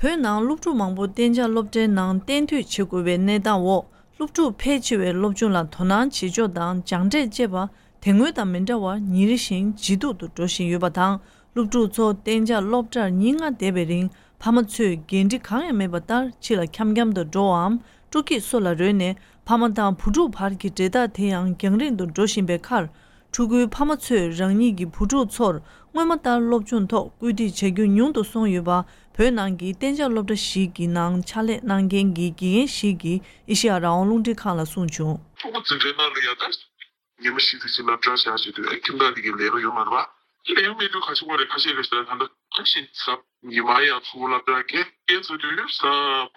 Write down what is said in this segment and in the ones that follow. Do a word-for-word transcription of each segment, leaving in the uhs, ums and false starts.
བོད་ནང་སློབ་ཕྲུག་མང་པོ་གཏན་འཇགས་སློབ་གྲྭའི་ནང་གཏན་སྡོད་བྱེད་དགོས་པའི་གནས་སྟངས་འོག་སློབ་ཕྲུག་ཕལ་ཆེ་བས་སློབ་སྦྱོང་ལ་དོ་སྣང་བྱེད་ཕྱོགས་དང་སྦྱངས་འབྲས་བཅས་པ་དེ་སྔོན་དང་མི་འདྲ་བར་ཉིན་རེ་བཞིན་ཇེ་སྡུག་ཏུ་འགྲོ་བཞིན་ཡོད་པ་དང་། སློབ་ཕྲུག་ཚོ་གཏན་འཇགས་སློབ་གྲྭར་ཉིན་ལྔ་བསྡད་པའི་རིང་ཕ་མ་ཚོས་འགན་འཁྲི་གང་ཡང་མེད་པ་ལྟར་ཕྱི་ལ་འཁྱམ་འཁྱམ་དུ་འགྲོ་བའམ་སྤྲོ་སྐྱིད་སོགས་ལ་རོལ་ནས་ཕ་མ་དང་བུ་ཕྲུག་བར་གྱི་འབྲེལ་ཐག་དེ་ཡང་རྒྱང་རིང་དུ་འགྲོ་བཞིན་པའི་ཁར། ཕྲུ་གུའི་ཕ་མ་ཚོས་རང་ཉིད་ཀྱི་བུ་ཕྲུག་ཚོར་སྔོན་མ་ལྟར་སློབ་སྦྱོང་ཐོག་སྐུལ་འདེད་བྱ་རྒྱུ་ཉུང་དུ་སོང་ཡོད་པ། བོད་ནང་གི་གཏན་འཇགས་སློབ་གྲྭ་ཞིག་གི་ནང་ཕྱག་ལས་གནང་མཁན་གྱི་དགེ་རྒན་ཞིག་གིས་ཨེ་ཤེ་ཡ་རང་དབང་རླུང་འཕྲིན་ཁང་ལ་གསུངས་བྱུང་། ཕྲུ་གུ་འཛིན་གྲྭའི་ནང་ལ་ཡ་ད་ཉི་མ་བཞི་ཙམ་ཞིག་སློབ་གྲྭར་བཞག་བྱས་དུས་ཨེ་ཁྱིམ་བདག་དེ་གའི་ལས་ཀ་ཡོད་མ་རེད་པ། ལས་ཀ་མེད་དུས་ཁ་ཤས་ཁོ་རེ་ཁ་ཤས་ལས་ཀ་ད་ད་ཁ་ཤས་ཟབ། ཉི་མ་ཡང་ཚུར་སློབ་གྲྭར་སྐྱེལ་སྐྱེལ་ཚར་དུས་ས་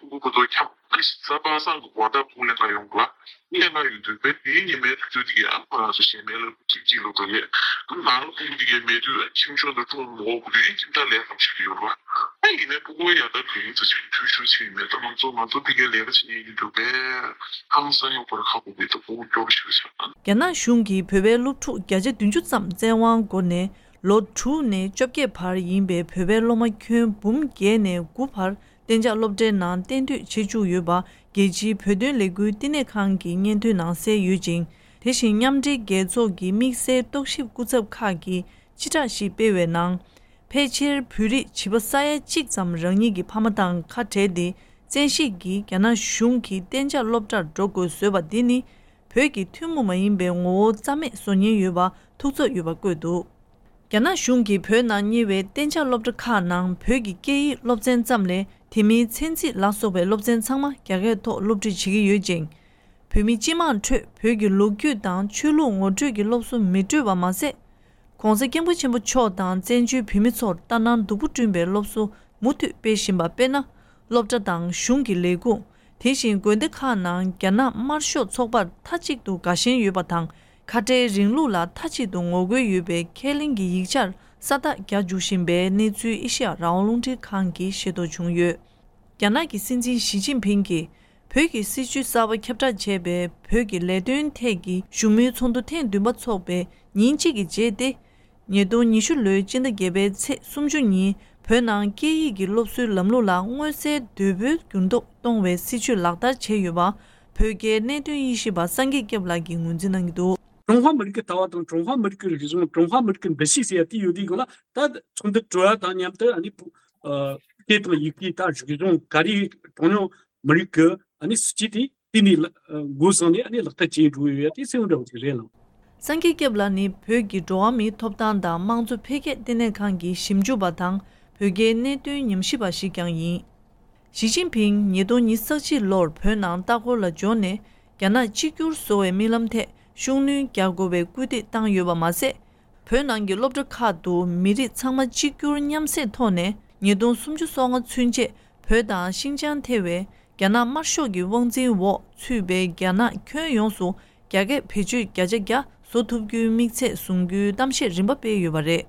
ཕྲུ་གུ་བུ་ཚོ་འཁྱམ་ས་པ་སངས་ཀྱི་སྒོ་ཐག་ཕུག་ལེན་ག་ཡོང་གི་ལ་ལེན་ག་ཡོང་དུས་བས་དེའི་ཉི་མའི་དུས་ཚོད་དེ་གའི་ཨ་ཁོ་རང་ཚོ་གཞན་མེད་ལ་ཅིག་ཅིག་ལོ་དོ་ཡས་ནང་ལ་ཕྲུ་གུ་དེ་གའི་མེད་དུས་ཁྱིམ་ཆུང་དང་ཁྲུང་མོ་གོ་དུས་ཁྱིམ་བདག་ལས་ཀ་བྱེད་ཀྱི་ཡོད་རེད་པ། ཨ་ཡིན་ནའི་ཕྲུ་གུ་ཡ་ད་དུས་ཡིན་ཚེ་ཅིག་འཐུས་ཤོར་ཕྱིན་ཡིན་མེད་ད་ང་ཚོ་ང་ཚོ་དེ་གའི་ལས་ཀ་བྱེད་མཁན་ཡིན་དུས་བས་ཧང་སང་ཡོང་པར་ཁག་པོ་མེད་དུ་ཕྲུ་གུ་སྐྱོ་པོ་ཞིག་ཆགས། རྒྱ་ནག་གཞུང་གིས་བོད་པའི་སློབ་ཕྲུག་བརྒྱ་ཆ་བདུན་ཅུ་ཙམ་བཙན་དབང་སྒོ་ནས་ལོ་དྲུག་ནས་བཅོ་བརྒྱད་བར་ཡིན་པའི་བོད་པའི་སློབ་མ་ཁྱོན་འབུམ་བརྒྱད་ནས་དགུ་བར་གཏན་འཇགས་སློབ་གྲྭའི་ནང་གཏན་སྡོད་བྱེད་བཅུག་ཡོད་པ། རྒྱལ་སྤྱིའི་བོད་དོན་ལས་འགུལ་བསྟི་གནས་ཁང་གི་སྙན་ཐོའི་ནང་གསལ་ཡོད་ཅིང་། དེ་བཞིན་མཉམ་འབྲེལ་རྒྱལ་ཚོགས་ཀྱི་དམིགས་བསལ་རྟོག་ཞིབ་སྐུ་ཚབ་ཁག་གིས་སྤྱི་བསྒྲགས་ཤིག་སྤེལ་བའི་ནང་། ཕལ་ཆེར་བོད་རིགས་བྱིས་པ་ས་ཡ་གཅིག་ཙམ་རང་ཉིད་ཀྱི་ཕ་མ་དང་ཁ་བྲལ་ཏེ། བཙན་ཤེད་ཀྱིས་རྒྱ་ནག་གཞུང་གིས་གཏན་འཇགས་སློབ་གྲྭར་འགྲོ་དགོས་བཟོས་པ་འདི་ནི། བོད་ཀྱི་ཐུན་མོང་མ་ཡིན་པའི་ངོ་བོ་རྩ་མེད་བཟོ་ཉེན་ཡོད་པ་ཐུགས་འཚབ་ཡོད་པ་བཀོད་འདུག་རྒྱ་ནག་གཞུང་གིས་བོད་ནང་གཉེར་བའི་གཏན་འཇགས་སློབ་གྲྭ་ཁག་ནང་བོད་ཀྱི་སྐད་ཡིག་སློབ་ཚན་ཙམ་ལས་དེ་མིན་ཚན་རྩིས་ལ་སོགས་པའི་སློབ་ཚན་ཚང་མ་རྒྱ་སྐད་ཐོག་སློབ་ཁྲིད་བྱེད་ཀྱི་ཡོད་ཅིང་། བོད་མི་སྤྱི་དམངས་ཁྲོད་བོད་ཀྱི་ལོ་རྒྱུས་དང་ཆོས་ལུགས་ངོ་སྤྲོད་ཀྱི་སློབ་གསོ་མི་སྤྲོད་པ་མ་ཟད། ༸གོང་ས་༸སྐྱབས་མགོན་ཆེན་པོ་མཆོག་དང་བཙན་བྱོལ་བོད་མི་ཚོར་ལྟ་ན་སྡུག་པོ་བསྐྲུན་པའི་སློབ་གསོ་མུ་མཐུད་སྤེལ་བཞིན་པ་དཔེར་ན། སློབ་གྲྭ་དང་གཞུང་གི་ལས་ཁུངས། དེ་བཞིན་དགོན་སྡེ་ཁག་ནང་རྒྱ་ནག་དམར་ཤོག་ཚོགས་པར་མཐའ་གཅིག་ཏུ་དགའ་ཞེན་ཡོད་པ་དང་། ཁ་བྲལ་རིང་ལུགས་ལ་མཐའ་གཅིག་ཏུ་ངོ་རྒོལ་ཡོད་པའི་ཁས་ལེན་གྱི་ཡིག་ཆར་ས་རྟགས་རྒྱག་འཇུག་བཞིན་པའི་གནས་ཚུལ་ཨེ་ཤེ་ཡ་རང་དབང་རླུང་འཕྲིན་ཁང་གིས་ཤེས་རྟོགས་བྱུང་ཡོད། རྒྱ་ནག་གི་སྲིད་འཛིན་ཞི་ཅིན་ཕིང་གིས་བོད་ཀྱི་སྲིད་བྱུས་གསར་པ་ཁྱབ་བསྒྲགས་བྱས་པའི་བོད་ཀྱི་ལས་དོན་ཐད་ཀྱི་བཞུགས་མོལ་ཚོགས་འདུ་ཐེངས་བདུན་པ་འཚོགས་པའི་ཉིན་གཅིག་གི་རྗེས་ཏེ། ཉིས་སྟོང་ཉི་ཤུ་ལོའི་སྤྱི་ཟླ་བརྒྱད་པའི་ཚེས་སུམ་ཅུ་ཉིན་བོད་ནང་སྐད་ཡིག་གི་སློབ་གསོའི་ལམ་ལུགས་ལ་མངོན་གསལ་དོད་པོས་འགྱུར་ལྡོག་གཏོང་བའི་སྲིད་བྱུས་ལག་བསྟར་བྱས་ཡོད་པ། བོད་རྒྱའི་གནད་དོན་དབྱེ་ཞིབ་པ་སངས་རྒྱས་སྐྱབས་ལགས་ཀྱིས་ངོས་འཛིན་གནང་གི་འདུག་ཀྲུང་ཧྭ་མི་རིགས་ཀྱི་ལྟ་བ་དང་ཀྲུང་ཧྭ་མི་རིགས་ཀྱི་རིག་གཞུང་ཀྲུང་ཧྭ་མི་རིགས་ཀྱི་འདུ་ཤེས་ཟེར་ཡ་དེ་ཡོད་དུས་སྒང་ལ་ད་ཚོགས་འདུ་གྲོལ་བ་དང་མཉམ་དུ་ཨ་ནི་བོད་ཨ་སྐད་དང་ཡི་གེ་དང་རིག་གཞུང་ག་རེ་གྲངས་ཉུང་མི་རིགས་ཀྱི་ཨ་ནི་སྲིད་བྱུས་དེ་དེ་ནས་ལ་ཨ་འགོ་བཟུང་ནས་ཨ་ནི་ལག་བསྟར་བྱས་འགྲོ་ཡོད་ཡ་དེ་གསལ་པོ་འདྲ་བོ་ཅིག་རེད་ལགས། སངས་རྒྱས་སྐྱབས་ལགས་ནི་བོད་ཀྱི་འགྲོ་བ་མིའི་ཐོབ་ཐང་དང་དམངས་གཙོ་འཕེལ་རྒྱས་ལྟེ་གནས་ཁང་གི་ཞིབ་འཇུག་པ་དང་བོད་རྒྱའི་གནད་དོན་ཉམས་ཞིབ་པ་ཞིག་ཀྱང་ཡིན། ཞི་ཅིན་ཕིང་ཉིས་སྟོང་ཉི་ཤུ་རྩ་གཅིག་ལོར་བོད་ནང་ལྟ་སྐོར་ལ་འབྱོར་ནས་རྒྱ་ནག་གཅིག་གྱུར་བཟོ་བའི་རྨི་ལམ་ཐད་ཤུགས་སྣོན་རྒྱག་དགོས་པའི་སྐུལ་འདེད་བཏང་ཡོད་པ་མ་ཟད། བོད་ནང་གི་སློབ་གྲྭ་ཁག་ཏུ་མི་རིགས་ཚང་མ་གཅིག་གྱུར་མཉམ་བསྲེས་ཐོག་ནས་ཉིས་སྟོང་སུམ་ཅུ་སོ་ལྔ་ཚུན་ཆད་བོད་དང་ཤིན་ཅང་ཐེ་བའི་རྒྱ་ནག་དམར་ཤོག་གི་དབང་འཛིན་འོག་ཚུད་པའི་རྒྱ་ནག་ཁྱོན་ཡོངས་སུ་རྒྱ་སྐད་བེད་སྤྱོད་བརྒྱ་ཆ་བརྒྱ་བཟོ་ཐུབ་རྒྱུའི་དམིགས་ཚད་བཟུང་རྒྱུའི་གཏམ་བཤད་རིམ་པ་སྤེལ་ཡོད་པ་རེད།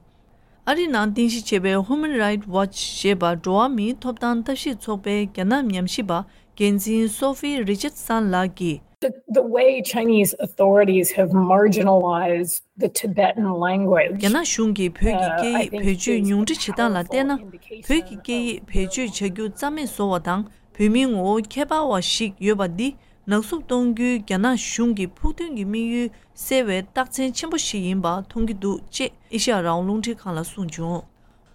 ཨ་རི་ནང་རྟེན་གཞི་བྱས་པའི་Human Rights Watch ཞེས་པ་འགྲོ་བ་མིའི་ཐོབ་ཐང་ལྟ་ཞིབ་ཚོགས་པའི་རྒྱ་ནག་ཉམས་ཞིབ་པ་འགན་འཛིན་Sophie Richardson ལགས་ཀྱིས། The, the way Chinese authorities have marginalized the Tibetan language. རྒྱ་ནག་གཞུང་གིས་བོད་ཀྱི་སྐད་ཡིག་བེད་སྤྱོད་ཉུང་འཕྲི་བྱེད་སྟངས་ལ་བལྟས་ན། བོད་ཀྱི་སྐད་ཡིག་བེད་སྤྱོད་བྱ་རྒྱུ་རྩ་མེད་བཟོ་བ་དང་བོད་མིའི་ངོ་བོ་ཁྱད་པར་བ་ཞིག་ཡོད་པ་འདི་ནག་བསུབ་གཏོང་རྒྱུའི་རྒྱ་ནག་གཞུང་གི་ཕུགས་འདུན་གྱི་དམིགས་ཡུལ་གསལ་བའི་རྟགས་མཚན་ཆེན་པོ་ཞིག་ཡིན་པ་མཐོང་གི་འདུག་ཅེས་ཨེ་ཤ་ཡ་རང་དབང་རླུང་འཕྲིན་ཁང་ལ་གསུངས་བྱུང་།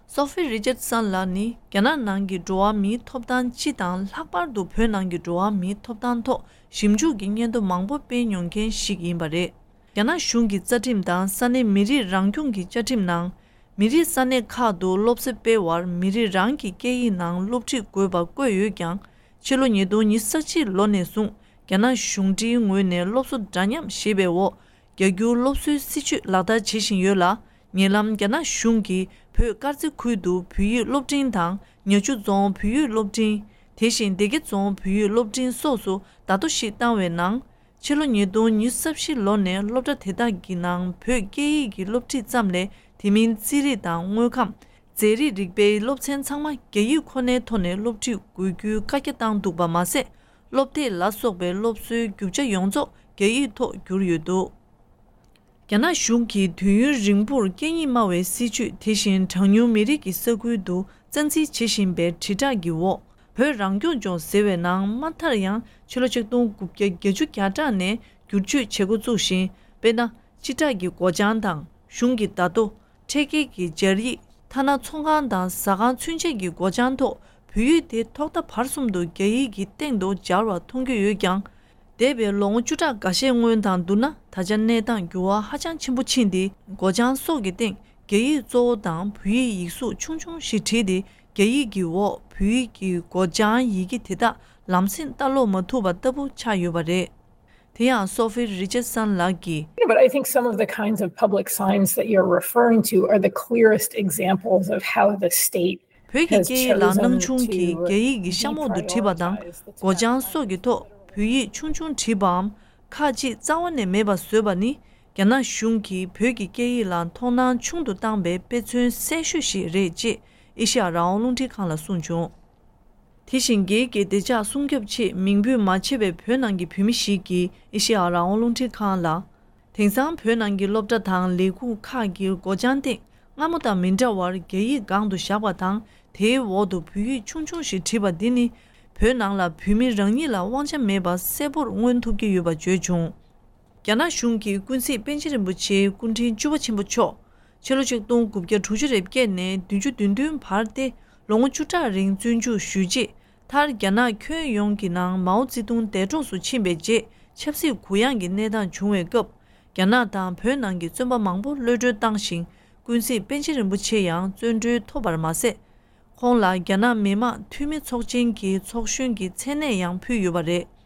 Sophie Richardson ལགས་ནི་རྒྱ་ནག་ནང་གི་འགྲོ་བ་མིའི་ཐོབ་ཐང་སྤྱི་དང་ལྷག་པར་དུ་བོད་ནང་གི་འགྲོ་བ་མིའི་ཐོབ་ཐང་ཐོག་ཞིབ་འཇུག་གི་སྙན་ཐོ་མང་པོ་སྤེལ་མྱོང་མཁན་ཞིག་ཡིན་པ་རེད། རྒྱ་ནག་གཞུང་གི་རྩ་ཁྲིམས་དང་ས་གནས་མི་རིགས་རང་སྐྱོང་གི་བཅའ་ཁྲིམས་ནང་། མི་རིགས་ས་གནས་ཁག་ཏུ་སློབ་གསོ་སྤེལ་བར་མི་རིགས་རང་གི་སྐད་ཡིག་ནང་སློབ་ཁྲིད་དགོས་པ་བཀོད་ཡོད་ཀྱང་། ཕྱི་ལོ་ཉིས་སྟོང་ཉི་ཤུ་རྩ་གཅིག་ལོ་ནས་བཟུང་རྒྱ་ནག་གཞུང་འབྲེལ་ངོས་ནས་སློབ་གསོ་འདྲ་མཉམ་ཞེས་པའི་འོག་རྒྱ་སྒྱུར་སློབ་གསོའི་སྲིད་བྱུས་ལག་བསྟར་བྱེད་བཞིན་ཡོད་ལ། ཉེ་ལམ་རྒྱ་ནག་གཞུང་གིས་བོད་དཀར་མཛེས་ཁུལ་དུ་བོད་ཡིག་སློབ་འབྲིང་དང་ཉག་ཆུ་རྫོང་བོད་ཡིག་སློབ་འབྲིང་། དེ་བཞིན་སྡེ་དགེ་རྫོང་བོད་ཡིག་སློབ་འབྲིང་སོགས་སུ་བརྡ་ཐོ་ཞིག་བཏང་བའི་ནང་། ཕྱི་ལོ་ཉིས་སྟོང་ཉི་ཤུ་རྩ་བཞི་ལོ་ནས་སློབ་གྲྭ་དེ་དག་གི་ནང་བོད་སྐད་ཡིག་གི་སློབ་ཁྲིད་ཙམ་ལས་དེ་མིན་རྩིས་རིག་དང་དངོས་ཁམས། རྫས་རིག་རིག་པའི་སློབ་ཚན་ཚང་མ་རྒྱ་ཡིག་ཁོ་ནའི་ཐོག་ནས་སློབ་ཁྲིད་དགོས་རྒྱུའི་བཀའ་རྒྱ་བཏང་འདུག་པ་མ་ཟད། སློབ་དེབ་ལ་སོགས་པའི་སློབ་གསོའི་རྒྱུ་ཆ་ཡོངས་རྫོགས་རྒྱ་ཡིག་ཐོག་བསྒྱུར་ཡོད་འདུག་རྒྱ་ནག་གཞུང་གིས་དུས་ཡུན་རིང་པོར་སྐད་གཉིས་སྨྲ་བའི་སྲིད་བྱུས་དེ་བཞིན་གྲངས་ཉུང་མི་རིགས་ཀྱི་ས་ཁུལ་དུ་རྩ་འཛིན་བྱེད་བཞིན་པའི་དྲིལ་བསྒྲགས་ཀྱི་འོག་བོད་རང་སྐྱོང་ལྗོངས་ཟེར་བའི་ནང་མ་མཐར་ཡང་ཕྱི་ལོ་ཆིག་སྟོང་དགུ་བརྒྱ་བརྒྱད་ཅུ་གྱ་གྲངས་ནས་བསྒྱུར་བཅོས་བྱེད་འགོ་བཙུགས་ཤིང་། དཔེར་ན། སྤྱི་བསྒྲགས་ཀྱི་སྒོ་བྱང་དང་གཞུང་གི་བརྡ་ཐོ། འཕྲེད་འགེལ་གྱི་སྦྱར་ཡིག་ཐ་ན་ཚོང་ཁང་དང་ཟ་ཁང་ཚུན་ཆད་ཀྱི་སྒོ་བྱང་ཐོག་བོད་ཡིག་དེ་ཐོག་མཐའ་བར་གསུམ་དུ་རྒྱ་ཡིག་གི་སྟེང་དུ་སྦྱར་བ་མཐོང་རྒྱུ་ཡོད་ཀྱང་། འདས་པའི་ལོ་ངོ་བཅུ་ཕྲག་འགའ་ཤས་སྔོན་དང་བསྡུར་ན། ད་ཆ་གནས་སྟངས་འགྱུར་བ་ཧ་ཅང་ཆེན་པོ་ཕྱིན་ཏེ། སྒོ་བྱང་སོགས་ཀྱི་སྟེང་རྒྱ་ཡིག་གཙོ་བོ་དང་བོད་ཡིག་ཡིག་གཟུགས་ཆུང་ཆུང་ཞིག་བྲིས་ཏེ། རྒྱ་ཡིག་གི་འོག་བོད་ཡིག་གི་སྒོ་བྱང་ཡི་གེ་དེ་དག་ལམ་སེང་ལྟ་ཀློག་མ་ཐུབ་པ་ལྟ་བུ་ཆགས་ཡོད་པ་རེད། དེ་ཡང་Sophie Richardson་ལགས་ཀྱིས། But I think some of the kinds of public signs that you're referring to are the clearest examples of how the state བོད་ཀྱི་སྐད་ཡིག་ལ་སྣང་ཆུང་གིས་རྒྱ་ཡིག་གི་གཤམ་འོག་ཏུ་བྲིས་པ་དང་། སྒོ་བྱང་སོགས་ཀྱི་ཐོག་བོད་ཡིག་ཆུང་ཆུང་བྲིས་པའམ། ཁག་ཅིག་རྩ་བ་ནས་མེད་པ་བཟོས་པ་ནི། རྒྱ་ནག་གཞུང་གིས་བོད་ཀྱི་སྐད་ཡིག་ལ་མཐོང་སྣང་ཆུང་དུ་བཏང་པའི་དཔེ་མཚོན་གསལ་ཤོས་ཤིག་རེད་ཅེས་ཨེ་ཤེ་ཡ་རང་དབང་རླུང་འཕྲིན་ཁང་ལ་གསུངས་བྱུང་། དེ་བཞིན་སྒེར་གྱི་བདེ་འཇགས་སྲུང་སྐྱོབ་ཆེད་མིང་འབོད་མ་བྱས་པའི་བོད་ནང་གི་བོད་མི་ཞིག་གིས་ཨེ་ཤེ་ཡ་རང་དབང་རླུང་འཕྲིན་ཁང་ལ། དེང་སང་བོད་ནང་གི་སློབ་གྲྭ་དང་ལས་ཁུངས་ཁག་གི་སྒོ་བྱང་སྟེང་སྔ་མོ་དང་མི་འདྲ་བར་རྒྱ་ཡིག་སྒང་དུ་བཞག་པ་དང་། དེའི་འོག་ཏུ་བོད་ཡིག་ཆུང་ཆུང་ཞིག་བྲིས་པ་འདི་ནི། བོད་ནང་ལ་བོད་མི་རང་ཉིད་ལ་དབང་ཆ་མེད་པ་གསལ་པོར་མངོན་ཐུབ་ཀྱི་ཡོད་པ་བརྗོད་བྱུང་། རྒྱ་ནག་གཞུང་གིས་ཀུན་གཟིགས་པཎ་ཆེན་རིན་པོ་ཆེའི་སྐུ་ཕྲེང་བཅུ་པ་ཆེན་པོ་མཆོག་ཕྱི་ལོ་ཆིག་སྟོང་དགུ་བརྒྱ་དྲུག་ཅུ་རེ་བརྒྱད་ནས་བདུན་ཅུ་དོན་བདུན་བར་ཏེ་ལོ་ངོ་བཅུ་ཕྲག་རིང་བཙོན་འཇུག་ཞུས་རྗེས། མཐར་རྒྱ་ནག་ཁྱོན་ཡོངས་ཀྱི་ནང་མའོ་ཙེ་ཏུང་འདས་གྲོངས་སུ་ཕྱིན་པའི་རྗེས། ཆབ་སྲིད་གུ་ཡངས་ཀྱི་གནས་སྟངས་བྱུང་བའི་སྐབས། རྒྱ་ནག་དང་བོད་ནང་གི་བཙོན་པ་མང་པོ་གློད་གྲོལ་བཏང་ཞིང་། ཀུན་གཟིགས་པཎ་ཆེན་རིན་པོ་ཆེ་ཡང་བཙོན་གྲོལ་ཐོབ་པར་མ་ཟད། ཁོང་ལ་རྒྱ་ནག་མི་དམངས་འཐུས་མི་ཚོགས་ཆེན་གྱི་ཚོགས་གཞོན་གྱི་མཚན་གནས་ཡང་ཕུལ་ཡོད་པ་རེད།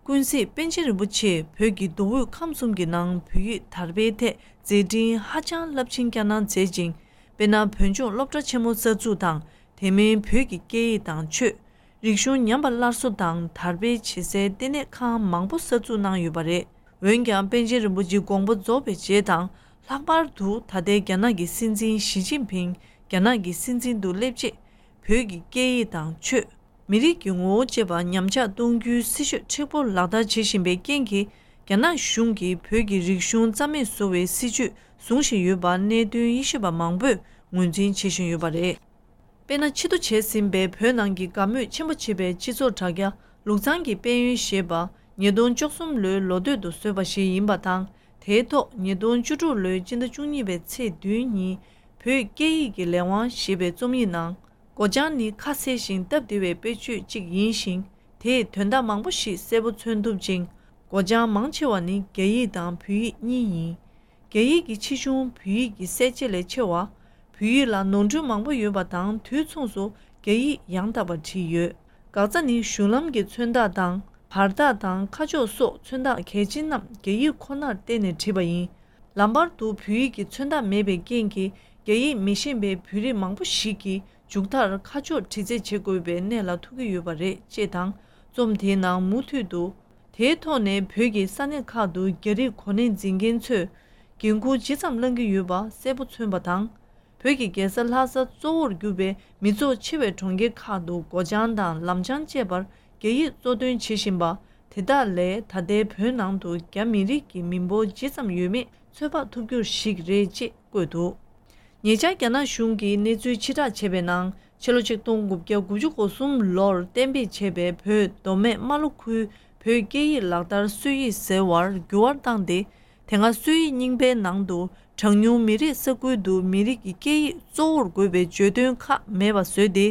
ཀུན་གཟིགས་པཎ་ཆེན་རིན་པོ་ཆེས་བོད་ཀྱི་མདོ་དབུས་ཁམས་གསུམ་གྱི་ནང་བོད་ཡིག་དར་སྤེལ་ཐད་མཛད་འཕྲིན་ཧ་ཅང་རླབས་ཆེན་བསྐྱངས་གནང་མཛད་ཅིང་། དཔེར་ན། བོད་ལྗོངས་སློབ་གྲྭ་ཆེན་མོ་གསར་འཛུགས་དང་། དེ་མིན་བོད་ཀྱི་སྐད་ཡིག་དང་ཆོས། རིག་གཞུང་ཉམས་པ་སླར་གསོ་དང་དར་སྤེལ་བྱེད་སའི་ལྟེ་གནས་ཁང་མང་པོ་གསར་འཛུགས་གནང་ཡོད་པ་རེད། འོན་ཀྱང་། པཎ་ཆེན་རིན་པོ་ཆེའི་དགོངས་པ་རྫོགས་པའི་རྗེས་དང་། ལྷག་པར་དུ་ད་ལྟའི་རྒྱ་ནག་གི་སྲིད་འཛིན་ཞི་ཅིན་ཕིང་རྒྱ་ནག་གི་སྲིད་འཛིན་དུ་སླེབས་རྗེས། བོད་ཀྱི་སྐད་ཡིག་དང་ཆོས། མི་རིགས་ཀྱི་ངོ་བོ་བཅས་པ་ཉམས་ཆག་གཏོང་རྒྱུའི་སྲིད་བྱུས་མཁྲེགས་པོ་ལག་བསྟར་བྱེད་བཞིན་པའི་རྐྱེན་གྱིས། རྒྱ་ནག་གཞུང་གིས་བོད་ཀྱི་རིག་གཞུང་རྩ་མེད་བཟོ་བའི་སྲིད་བྱུས་བཟུང་བཞིན་ཡོད་པ་གནད་དོན་དབྱེ་ཞིབ་པ་མང་པོས་ངོས་འཛིན་བྱེད་བཞིན་ཡོད་པ་རེད། དཔེར་ན། ཕྱིར་བསྡུ་བྱས་ཟིན་པའི་བོད་ནང་གི་དགའ་མོས་ཆེན་པོ་བྱེད་པའི་སྤྱི་ཚོགས་དྲ་རྒྱ་ལུག་ཚང་གི་དཔལ་ཡོན་ཞེས་པ། ཉིས་སྟོང་བཅུ་གསུམ་ལོའི་ལོ་སྟོད་དུ་བཟོས་པ་ཞིག་ཡིན་པ་དང་། དེའི་ཐོག་ཉིས་སྟོང་བཅུ་དྲུག་ལོའི་སྤྱི་ཟླ་བཅུ་གཉིས་པའི་ཚེས་བདུན་ཉིན། བོད་སྐད་ཡིག་གི་ལས་དབང་ཞེས་པའི་རྩོམ་ཡིག་ནང་། སྒོ་བྱང་ནི་ཁ་གསལ་ཞིང་སྟབས་བདེ་བའི་དཔེ་བརྗོད་ཅིག་ཡིན་ཞིང་། དེས་དོན་དག་མང་པོ་ཞིག་གསལ་པོ་མཚོན་ཐུབ་ཅིང་། སྒོ་བྱང་མང་ཆེ་བ་ནི་རྒྱ་ཡིག་དང་བོད་ཡིག་གཉིས་ཡིན། རྒྱ་ཡིག་གི་ཆེ་ཆུང་བོད་ཡིག་གི་གསལ་བྱེད་ལས་ཆེ་བ། བོད་ཡིག་ལ་ནོར་འཁྲུལ་མང་པོ་ཡོད་པ་དང་། དུས་མཚུངས་སུ་རྒྱ་ཡིག་ཡང་དག་པར་བྲིས་ཡོད། འགག་རྩ་ནི་གཞུང་ལམ་གྱི་མཚོན་རྟགས་དང་། བར་ཐག་དང་། ཁ་ཕྱོགས་སོགས་མཚོན་རྟགས་གལ་ཆེན་རྣམས་རྒྱ་ཡིག་ཁོ་ནར་བརྟེན་ནས་བྲིས་པ་ཡིན། ལམ་བར་དུ་བོད་ཡིག་གི་མཚོན་རྟགས་མེད་པའི་རྐྱེན་གྱིས། རྒྱ་ཡིག་མི་ཤེས་པའི་བོད་རིགས་མང་པོ་ཞིག་གིས་མཇུག་མཐར་ཁ་ཕྱོགས་དྲི་རྩད་བྱེད་དགོས་པའི་གནས་ལ་ཐུག་གི་ཡོད་པ་རེད། ཅེས་དང་། རྩོམ་དེའི་ནང་མུ་མཐུད་དུ། དེའི་ཐོག་ནས་བོད་ཀྱི་ས་གནས་ཁག་ཏུ་རྒྱ་རིགས་གོ་གནས་འཛིན་མཁན་ཚོས་འགན་འཁུར་ཇི་ཙམ་བླང་གི་ཡོད་པ་གསལ་པོ་མཚོན་པ་དང་། བོད་ཀྱི་རྒྱལ་ས་ལྷ་ས་གཙོ་བོར་གྱུར་པའི་མི་ཚོགས་ཆེ་བའི་གྲོང་ཁྱེར་ཁག་ཏུ་སྒོ་བྱང་དང་ལམ་བྱང་བཅས་པར་རྒྱ་ཡིག་གཙོ་འདོན་བྱེད་བཞིན་པ། དེ་དག་ལས་ད་ལྟའི་བོད་ནང་དུ་རྒྱ་མི་རིགས་ཀྱི་མི་འབོར་ཇི་ཙམ་ཡོད་མེད་ཚོད་དཔག་ཐུབ་རྒྱུ་ཞིག་རེད་ཅེས་བཀོད་འདུག། ཉེ་ཆར་རྒྱ་ནག་གཞུང་གིས་གནས་ཚུལ་ཕྱིར་བསྒྲགས་བྱས་པའི་ནང་། ཕྱི་ལོ་ཆིག་སྟོང་དགུ་བརྒྱ་དགུ་བཅུ་གོ་གསུམ་ལོར་གཏན་འབེབས་བྱས་པའི་བོད་མདོ་སྨད་རྨ་ལྷོ་ཁུལ་བོད་སྐད་ཡིག་ལག་བསྟར་སྲོལ་ཡིག་ཟེར་བར་འགྱུར་བ་བཏང་སྟེ། དེ་སྔ་སྲོལ་ཡིག་རྙིང་པའི་ནང་དུ་གྲངས་ཉུང་མི་རིགས་ས་ཁུལ་དུ་མི་རིགས་ཀྱི་སྐད་ཡིག་གཙོ་བོར་དགོས་པའི་བརྗོད་དོན་ཁག་མེད་པ་བཟོས་ཏེ།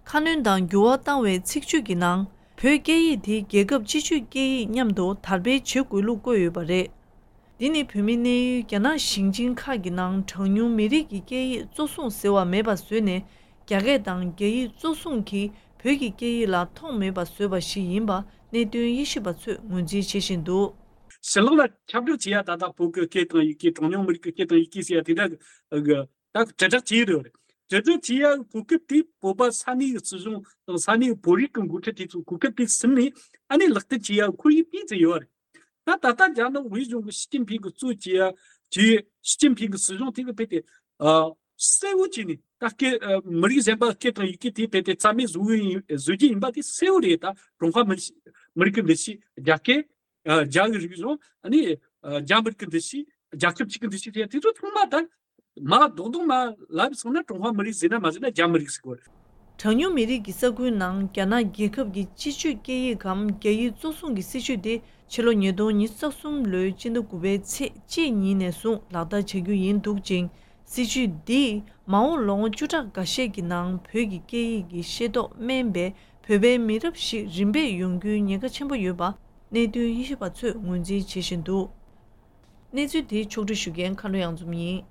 ཁ་སྣོན་དང་འགྱུར་བ་བཏང་བའི་ཚིག་བརྗོད་ཀྱི་ནང་། བོད་སྐད་ཡིག་དེ་རྒྱལ་ཁབ་སྤྱི་སྤྱོད་སྐད་ཡིག་མཉམ་དུ་དར་སྤེལ་བྱེད་དགོས་ལུགས་བཀོད་ཡོད་པ་རེད། འདི་ནི་བོད་མིའི་གནས་ཡུལ་རྒྱ་ནག་ཞིང་ཆེན་ཁག་གི་ནང་གྲངས་ཉུང་མི་རིགས་ཀྱི་སྐད་ཡིག་གཙོ་བཟུང་ཟེར་བ་མེད་པ་བཟོས་ནས། རྒྱ་སྐད་དང་རྒྱ་ཡིག་གཙོ་བཟུང་གིས་བོད་ཀྱི་སྐད་ཡིག་ལ་མཐོང་མེད་པ་བཟོས་པ་ཞིག་ཡིན་པ་གནད་དོན་དབྱེ་ཞིབ་པ་ཚོས་ངོས་འཛིན་བྱེད་བཞིན་འདུག། ཕྱི་ལོགས་ལ་ཁྱབ་བསྒྲགས་བྱེད་ཡ་ད་ལྟ་བོད་ཀྱི་སྐད་དང་ཡི་གེ། གྲངས་ཉུང་མི་རིགས་ཀྱི་སྐད་དང་ཡི་གེ་ཟེར་ཡ་དེ་འདྲ་གི་ད་དྲིལ་བསྒྲགས་བྱེད་ཡོད་རེད། དྲིལ་བསྒྲགས་བྱེད་ཡ་གོ་སྐབས་དེ་བོད་པ་ས་གནས་ཀྱི་སྲིད་གཞུང་དང་ས་གནས་ཀྱི་བོད་རིགས་ཀྱི་འགོ་ཁྲིད་དེ་ཚོ་གོ་སྐབས་དེ་ཟིན་ནས་ཨ་ནི་ལག་བསྟར་བྱེད་ཡ་ཁོར་ཡུག་སྤྲད་ཟིན་ཡོད་རེད། ད་ད་ལྟ་རྒྱ་ནག་དབུས་གཞུང་གི་ཞི་ཅིན་ཕིང་གི་གཙོས་བྱེད་ཡ་བྱེད་ཡོད། ཞི་ཅིན་ཕིང་གི་སྲིད་གཞུང་དེ་གི་ཕེབས་ཏེ་ཨ་གསལ་བོ་བྱས་ནས་ད་སྐད་ཨ་མི་རིགས་གཞན་པ་སྐད་དང་ཡི་གེ་དེ་ཕེབས་ཏེ་རྩ་མེད་བཟོ་གི་ཡིན་བཟོ་རྒྱུ་ཡིན་པ་དེ་གསལ་བོ་རེད། ད་ཀྲུང་ཧྭ་མི་མི་རིགས་ཀྱི་འདུ་ཤེས། རྒྱ་སྐད་ཨ་རྒྱ་གི་རིག་གཞུང་། ཨ་ནི་ཨ་རྒྱ་མི་རིགས་ཀྱི་འདུ་ཤེས། རྒྱལ་ཁབ་ཅིག་གི་འདུ་ཤེས་དེ་དེ་ཚོ་ཚང་མ་ད་མ་རྡོག་རྡོག་མ་ལབ་སོང་ན་ཀྲུང་ཧྭ་མི་རིགས་ཟེར་ན་མ་ཟེར་ན་རྒྱ་མི་རིགས་ཟེར་གོ་རེད། གྲངས་ཉུང་མི་རིགས་ཀྱི་ས་ཁུལ་ནང་རྒྱ་ནག་རྒྱལ་ཁབ་ཀྱི་སྤྱི་སྤྱོད་སྐད་ཡིག་གམ་རྒྱ་ཡིག་གཙོ་བཟུང་གི་སྲིད་བྱུས་དེ་ཕྱི་ལོ་ཉིས་སྟོང་ཉི་ཤུ་རྩ་གསུམ་ལོའི་སྤྱི་ཟླ་དགུ་པའི་ཚེས་གཅིག་ཉིན་ནས་བཟུང་ལག་བསྟར་བྱ་རྒྱུ་ཡིན་འདུག་ཅིང་། སྲིད་བྱུས་འདིས་མ་འོངས་ལོ་ངོ་བཅུ་ཕྲག་འགའ་ཤས་ཀྱི་ནང་བོད་ཀྱི་སྐད་ཡིག་གི་ཤེས་རྟོགས་དམན་པའི་བོད་པའི་མི་རབས་ཤིག་རིམ་པས་ཡོང་རྒྱུའི་ཉེན་ཁ་ཆེན་པོ་ཡོད་པ་གནད་དོན་དབྱེ་ཞིབ་པ་ཚོས་ངོས་འཛིན་བྱེད་བཞིན་འདུག་གནས་ཚུལ་དེ་ཕྱོགས་སྒྲིག་ཞུ་མཁན་ཁ་ལོ་གཡང་འཛོམས་ཡིན།